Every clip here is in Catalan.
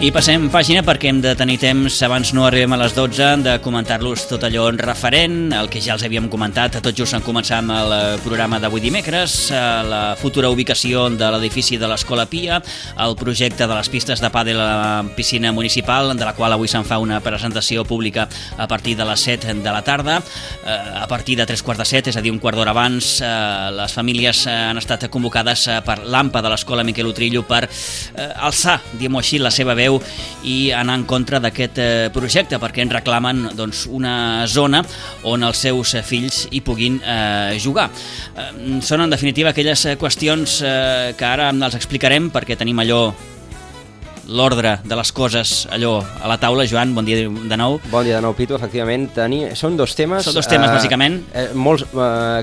I passem pàgina perquè hem de tenir temps, abans no arribem a les 12, de comentar-los tot allò referent, el que ja els havíem comentat tot just en començar amb el programa d'avui dimecres, la futura ubicació de l'edifici de l'Escola Pia, el projecte de les pistes de pàdel a la piscina municipal, de la qual avui se'n fa una presentació pública a partir de les 7 de la tarda. A partir de 3:15, és a dir, un quart d'hora abans, les famílies han estat convocades per l'AMPA de l'Escola Miquel Utrillo per alçar, diguem-ho així, la seva veu i anar en contra d'aquest projecte, perquè en reclamen una zona on els seus fills hi puguin jugar. Són en definitiva aquelles qüestions que ara els explicarem, perquè tenim allò, l'ordre de les coses allò a la taula. Joan, bon dia de nou. Bon dia de nou, Pitu. Efectivament, són dos temes... Són dos temes, bàsicament.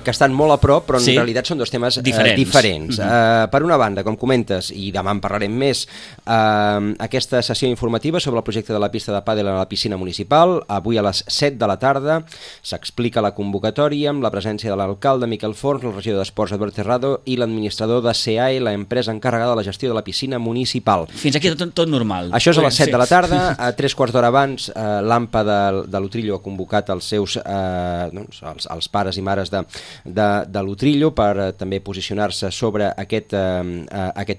Que estan molt a prop, però en realitat són dos temes diferents. Per una banda, com comentes, i demà en parlarem més, aquesta sessió informativa sobre el projecte de la pista de pàdel a la piscina municipal. Avui a les 7 de la tarda s'explica la convocatòria amb la presència de l'alcalde Miquel Forns, el regidor d'Esports Eduard Terrado i l'administrador de CEAE, l'empresa encarregada de la gestió de la piscina municipal. Fins aquí tot normal. Això és a les 7 de la tarda. A 3/4 d'hora abans, l'AMPA de l'Utrillo ha convocat els seus els pares i mares de l'Utrillo per també posicionar-se sobre aquest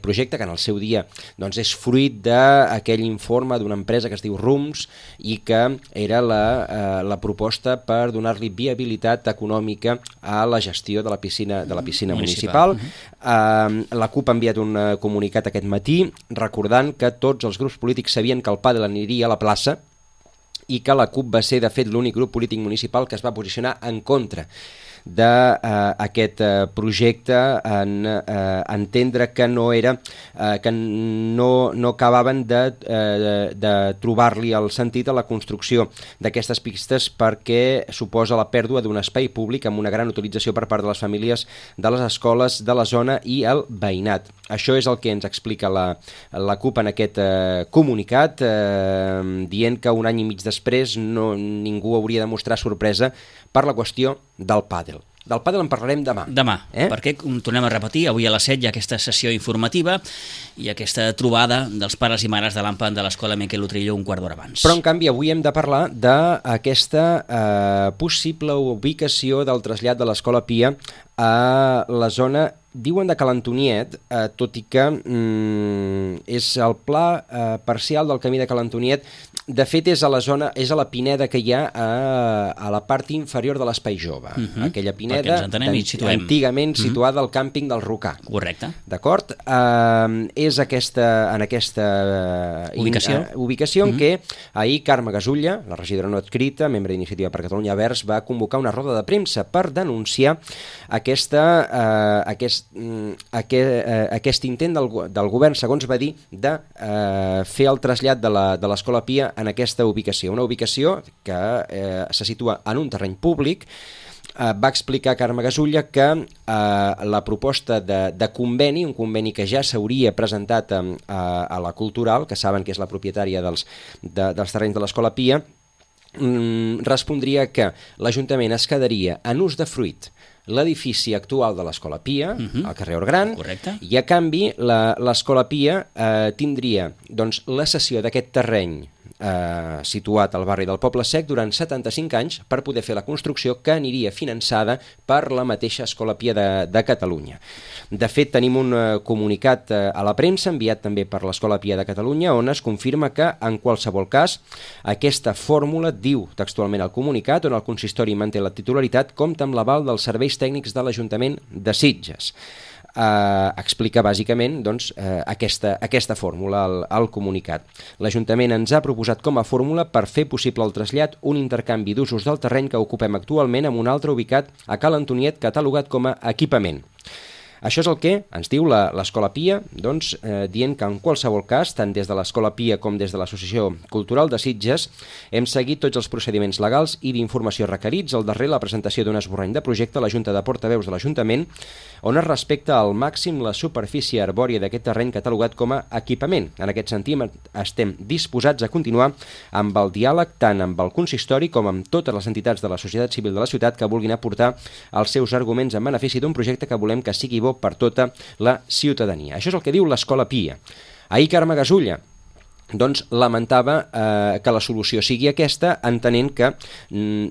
projecte, que en el seu dia és fruit d'aquell informe d'una empresa que es diu RUMS i que era la proposta per donar-li viabilitat econòmica a la gestió de la piscina municipal. La CUP ha enviat un comunicat aquest matí recordant que tots els grups polítics sabien que el pàdel aniria a la plaça i que la CUP va ser, de fet, l'únic grup polític municipal que es va posicionar en contra d'aquest projecte, en entendre que no era que no acabaven de trobar-li el sentit a la construcció d'aquestes pistes, perquè suposa la pèrdua d'un espai públic amb una gran utilització per part de les famílies de les escoles de la zona i el veïnat. Això és el que ens explica la CUP en aquest comunicat, dient que un any i mig després ningú hauria de mostrar sorpresa per la qüestió del pàdel. Del pàdel en parlarem demà. Perquè, tornem a repetir, avui a les 7 hi ha aquesta sessió informativa i aquesta trobada dels pares i mares de l'AMPA de l'Escola Miquel Utrillo un quart d'hora abans. Però, en canvi, avui hem de parlar d'aquesta possible ubicació del trasllat de l'Escola Pia a la zona, diuen, de Ca l'Antoniet, tot i que és el pla parcial del camí de Ca l'Antoniet. De fet, és a la pineda que hi ha a la part inferior de l'Espai Jove. Aquella pineda antigament situada al càmping del Rocà. Correcte. D'acord? És en aquesta ubicació en què ahir Carme Gasulla, la regidora no adscrita, membre d'Iniciativa per Catalunya Verds, va convocar una roda de premsa per denunciar aquest intent del govern, segons va dir, de fer el trasllat de l'Escola Pia en aquesta ubicació. Una ubicació que se situa en un terreny públic. Va explicar Carme Gasulla que la proposta de conveni, un conveni que ja s'hauria presentat a la Cultural, que saben que és la propietària dels terrenys de l'Escola Pia, respondria que l'Ajuntament es quedaria en ús de fruit l'edifici actual de l'Escola Pia, al carrer Orgran, i a canvi l'Escola Pia tindria la cessió d'aquest terreny situat al barri del Poble Sec durant 75 anys per poder fer la construcció que aniria finançada per la mateixa Escola Pia de Catalunya. De fet, tenim un comunicat a la premsa enviat també per l'Escola Pia de Catalunya on es confirma que, en qualsevol cas, aquesta fórmula, diu textualment el comunicat, on el consistori manté la titularitat, compta amb l'aval dels serveis tècnics de l'Ajuntament de Sitges. Explica bàsicament aquesta fórmula al comunicat. L'Ajuntament ens ha proposat com a fórmula per fer possible el trasllat un intercanvi d'usos del terreny que ocupem actualment amb un altre ubicat a Ca l'Antoniet catalogat com a equipament. Això és el que ens diu l'Escola Pia, dient que en qualsevol cas, tant des de l'Escola Pia com des de l'Associació Cultural de Sitges, hem seguit tots els procediments legals i d'informació requerits. Al darrer, la presentació d'un esborrany de projecte a la Junta de Portaveus de l'Ajuntament, on es respecta al màxim la superfície arbòria d'aquest terreny catalogat com a equipament. En aquest sentit, estem disposats a continuar amb el diàleg tant amb el consistori com amb totes les entitats de la societat civil de la ciutat que vulguin aportar els seus arguments en benefici d'un projecte que volem que sigui bo per tota la ciutadania. Això és el que diu l'Escola Pia. Ahir Carme Gasulla doncs lamentava que la solució sigui aquesta, entenent que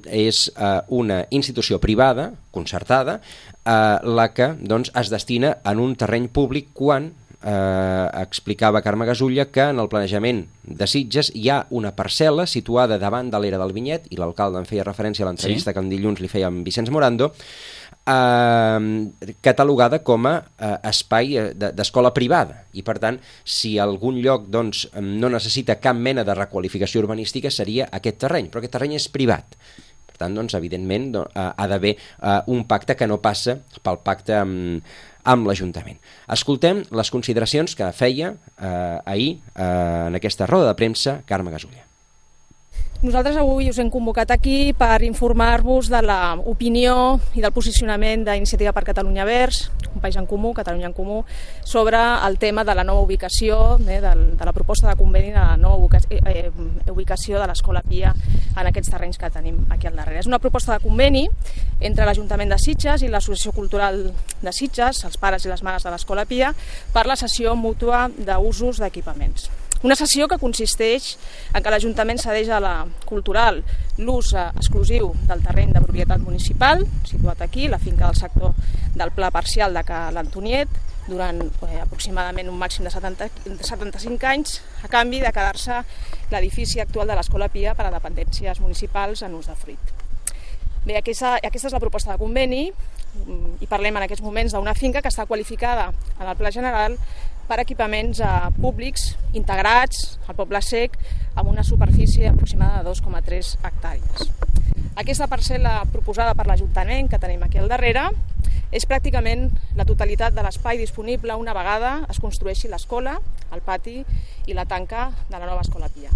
és una institució privada, concertada, la que doncs, es destina en un terreny públic quan explicava Carme Gasulla que en el planejament de Sitges hi ha una parcel·la situada davant de l'era del Vinyet, i l'alcalde en feia referència a l'entrevista que en dilluns li feia amb Vicenç Morando, catalogada com a espai d'escola privada, i per tant si algun lloc doncs, no necessita cap mena de requalificació urbanística seria aquest terreny, però aquest terreny és privat. Per tant, doncs, evidentment ha d'haver un pacte que no passa pel pacte amb l'Ajuntament. Escoltem les consideracions que feia ahir en aquesta roda de premsa Carme Gasulla. Nosaltres avui us hem convocat aquí per informar-vos de l'opinió i del posicionament d'Iniciativa per Catalunya Verds, un país en comú, Catalunya en Comú, sobre el tema de la nova ubicació, de la proposta de conveni de la nova ubicació de l'Escola Pia en aquests terrenys que tenim aquí al darrere. És una proposta de conveni entre l'Ajuntament de Sitges i l'Associació Cultural de Sitges, els pares i les mares de l'Escola Pia, per la cessió mútua d'usos d'equipaments. Una cessió que consisteix en que l'Ajuntament cedeix a la cultural l'ús exclusiu del terreny de propietat municipal, situat aquí, la finca del sector del Pla Parcial de Ca l'Antoniet, durant aproximadament un màxim de 75 anys, a canvi de quedar-se l'edifici actual de l'Escola Pia per a dependències municipals en ús de fruit. Bé, aquesta és la proposta de conveni, i parlem en aquests moments d'una finca que està qualificada en el Pla General per equipaments públics integrats al Poble Sec amb una superfície aproximada de 2,3 hectàrees. Aquesta parcel·la proposada per l'Ajuntament, que tenim aquí al darrere, és pràcticament la totalitat de l'espai disponible una vegada es construeixi l'escola, el pati i la tanca de la nova Escola Pia.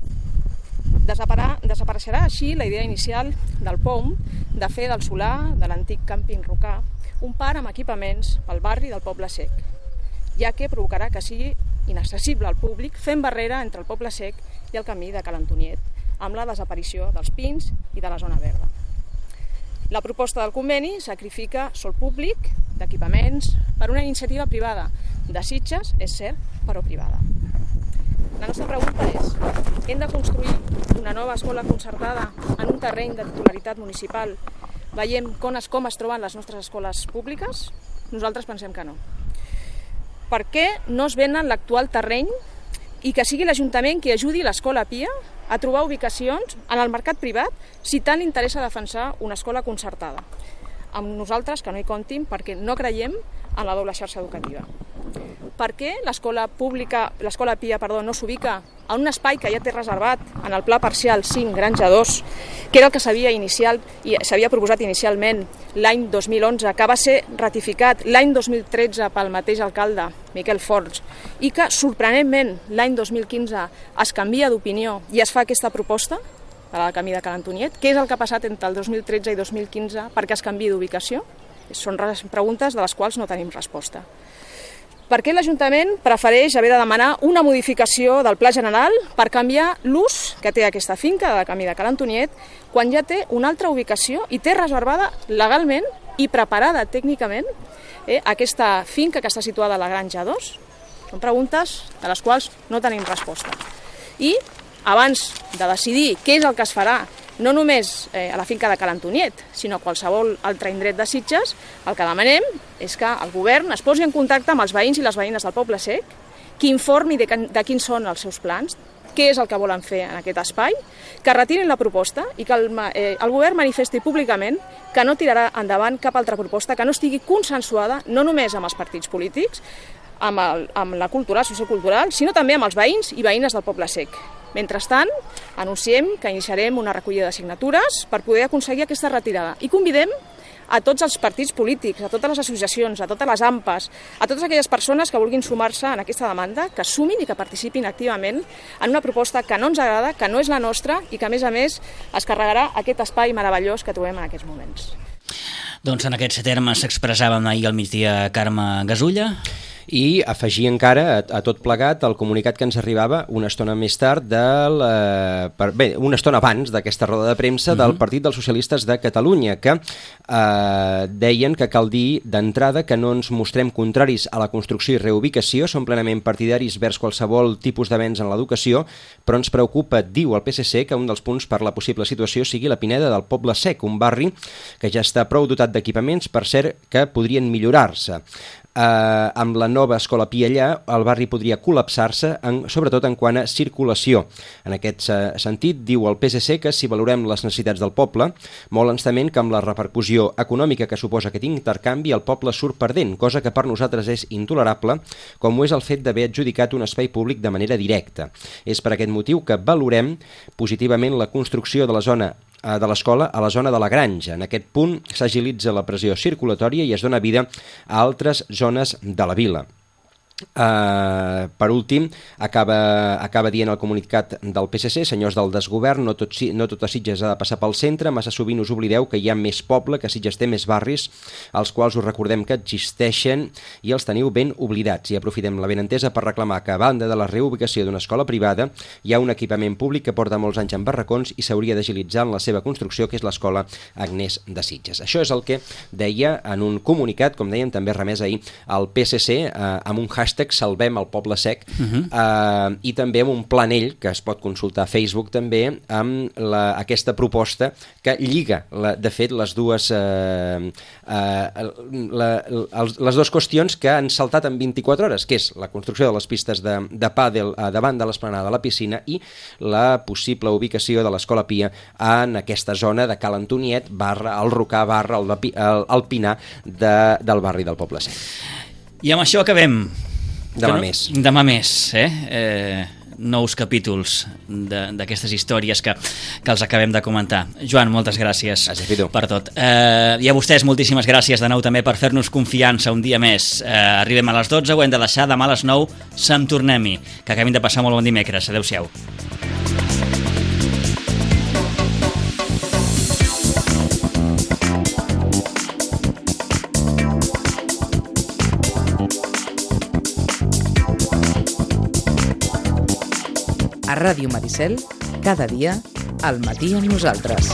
Desapareixerà així la idea inicial del POM de fer del solar de l'antic càmping Rocà un parc amb equipaments pel barri del Poble Sec, ja que provocarà que sigui inaccessible al públic fent barrera entre el Poble Sec i el camí de Ca l'Antoniet, amb la desaparició dels pins i de la zona verda. La proposta del conveni sacrifica sòl públic d'equipaments per una iniciativa privada de Sitges, és cert, però privada. La nostra pregunta és: hem de construir una nova escola concertada en un terreny de titularitat municipal? Veiem com es troben les nostres escoles públiques? Nosaltres pensem que no. Per què no es venen l'actual terreny i que sigui l'Ajuntament qui ajudi l'Escola Pia a trobar ubicacions en el mercat privat si tant li interessa defensar una escola concertada? Amb nosaltres que no hi comptin perquè no creiem en la doble xarxa educativa. Per què l'Escola Pia no s'ubica en un espai que ja té reservat en el Pla Parcial 5 Granja 2, que era el que s'havia proposat inicialment l'any 2011, que va ser ratificat l'any 2013 pel mateix alcalde, Miquel Forns, i que, sorprenentment, l'any 2015 es canvia d'opinió i es fa aquesta proposta per al camí de Ca l'Antoniet? Què és el que ha passat entre el 2013 i 2015 perquè es canviï d'ubicació? Són preguntes de les quals no tenim resposta. Per què l'Ajuntament prefereix haver de demanar una modificació del Pla General per canviar l'ús que té aquesta finca de camí de Ca l'Antoniet quan ja té una altra ubicació i té reservada legalment i preparada tècnicament aquesta finca que està situada a la Granja 2? Són preguntes de les quals no tenim resposta. I abans de decidir què és el que es farà, no només a la finca de Ca l'Antoniet, sinó a qualsevol altre indret de Sitges, el que demanem és que el govern es posi en contacte amb els veïns i les veïnes del Poble Sec, que informi de quins són els seus plans, què és el que volen fer en aquest espai, que retirin la proposta i que el govern manifesti públicament que no tirarà endavant cap altra proposta que no estigui consensuada no només amb els partits polítics, amb la cultura, sociocultural, sinó també amb els veïns i veïnes del Poble Sec. Mentrestant, anunciem que iniciarem una recollida de signatures per poder aconseguir aquesta retirada i convidem a tots els partits polítics, a totes les associacions, a totes les AMPAs, a totes aquelles persones que vulguin sumar-se en aquesta demanda, que sumin i que participin activament en una proposta que no ens agrada, que no és la nostra i que, a més, es carregarà aquest espai meravellós que trobem en aquests moments. Doncs en aquests termes s'expressàvem ahir al migdia Carme Gasulla. I afegir encara a tot plegat el comunicat que ens arribava una estona més tard una estona abans d'aquesta roda de premsa del Partit dels Socialistes de Catalunya, que deien que cal dir d'entrada que no ens mostrem contraris a la construcció i reubicació, som plenament partidaris vers qualsevol tipus d'avenç en l'educació, però ens preocupa, diu el PSC, que un dels punts per la possible situació sigui la Pineda del Poble Sec, un barri que ja està prou dotat d'equipaments, per cert, que podrien millorar-se. Amb la nova escola Pia allà, el barri podria col·lapsar-se, sobretot en quant a circulació. En aquest sentit, diu el PSC que si valorem les necessitats del poble, molt ens temem que amb la repercussió econòmica que suposa aquest intercanvi, el poble surt perdent, cosa que per nosaltres és intolerable, com ho és el fet d'haver adjudicat un espai públic de manera directa. És per aquest motiu que valorem positivament la construcció de la zona de l'escola a la zona de la Granja. En aquest punt s'agilitza la pressió circulatòria i es dona vida a altres zones de la vila. Per últim, acaba dient el comunicat del PSC: senyors del desgovern, no tot a Sitges ha de passar pel centre, massa sovint us oblideu que hi ha més poble, que Sitges té més barris, als quals us recordem que existeixen i els teniu ben oblidats. I aprofitem la benentesa per reclamar que a banda de la reubicació d'una escola privada hi ha un equipament públic que porta molts anys en barracons i s'hauria d'agilitzar en la seva construcció, que és l'escola Agnès de Sitges. Això és el que deia en un comunicat, com dèiem, també remès ahir al PSC, amb un hashtag Salvem el Poble Sec, i també amb un planell que es pot consultar a Facebook també, amb aquesta proposta que lliga, de fet, les dues qüestions que han saltat en 24 hores, que és la construcció de les pistes de pàdel davant de l'esplanada de la piscina i la possible ubicació de l'Escola Pia en aquesta zona de Cal Antoniet / el Rocà / el Pinar del barri del Poble Sec. I amb això acabem. Demà més, nous capítols d'aquestes històries que els acabem de comentar. Joan, moltes gràcies per tot. I a vostès moltíssimes gràcies de nou també per fer-nos confiança un dia més. Arribem a les 12, ho hem de deixar, demà a les 9 se'n tornem-hi. Que acabem de passar molt bon dimecres. Adéu-siau. A Ràdio Maricel, cada dia, al matí amb nosaltres.